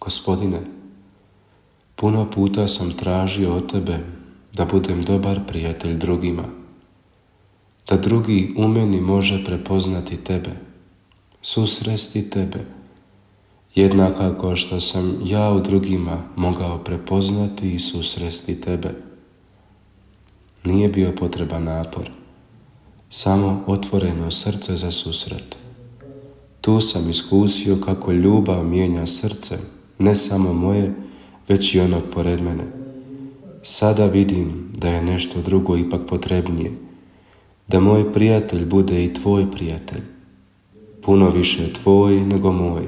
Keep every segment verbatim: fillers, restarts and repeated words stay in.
Gospodine, puno puta sam tražio od Tebe da budem dobar prijatelj drugima, da drugi u meni može prepoznati Tebe, susresti Tebe, jednako kao što sam ja u drugima mogao prepoznati i susresti Tebe. Nije bio potreban napor, samo otvoreno srce za susret. Tu sam iskusio kako ljubav mijenja srce, ne samo moje, već i onog pored mene. Sada vidim da je nešto drugo ipak potrebnije, da moj prijatelj bude i tvoj prijatelj, puno više tvoj nego moj.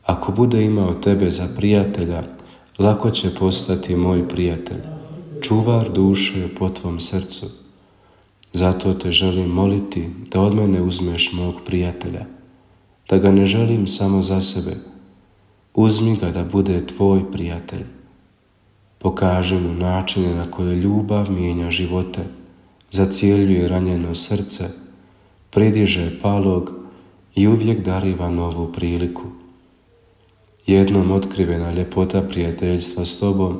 Ako bude imao tebe za prijatelja, lako će postati moj prijatelj, čuvar duše po tvom srcu. Zato te želim moliti da od mene uzmeš mog prijatelja, da ga ne želim samo za sebe. Uzmi ga da bude tvoj prijatelj. Pokaži mu načine na koje ljubav mijenja živote, zacjeljuje ranjeno srce, pridiže palog i uvijek dariva novu priliku. Jednom otkrivena ljepota prijateljstva s tobom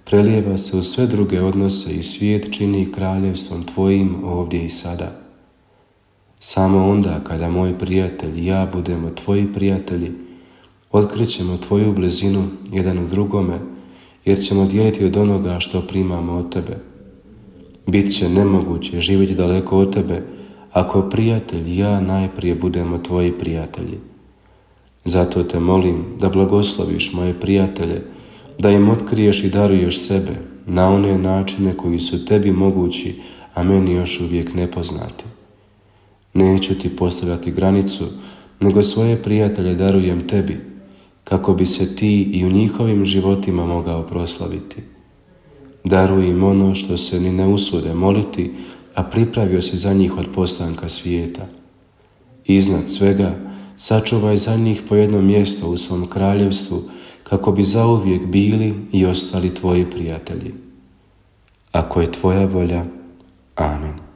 prelijeva se u sve druge odnose i svijet čini kraljevstvom tvojim ovdje i sada. Samo onda kada moj prijatelj i ja budemo tvoji prijatelji, otkrićemo tvoju blizinu jedan u drugome, jer ćemo dijeliti od onoga što primamo od tebe. Bit će nemoguće živjeti daleko od tebe ako prijatelj i ja najprije budemo tvoji prijatelji. Zato te molim da blagosloviš moje prijatelje, da im otkriješ i daruješ sebe na one načine koji su tebi mogući, a meni još uvijek nepoznati. Neću ti postavljati granicu, nego svoje prijatelje darujem tebi, kako bi se ti i u njihovim životima mogao proslaviti. Daruj im ono što se ni ne usude moliti, a pripravio si za njih od postanka svijeta. Iznad svega, sačuvaj za njih po jedno mjesto u svom kraljevstvu, kako bi zauvijek bili i ostali tvoji prijatelji. Ako je tvoja volja, amen.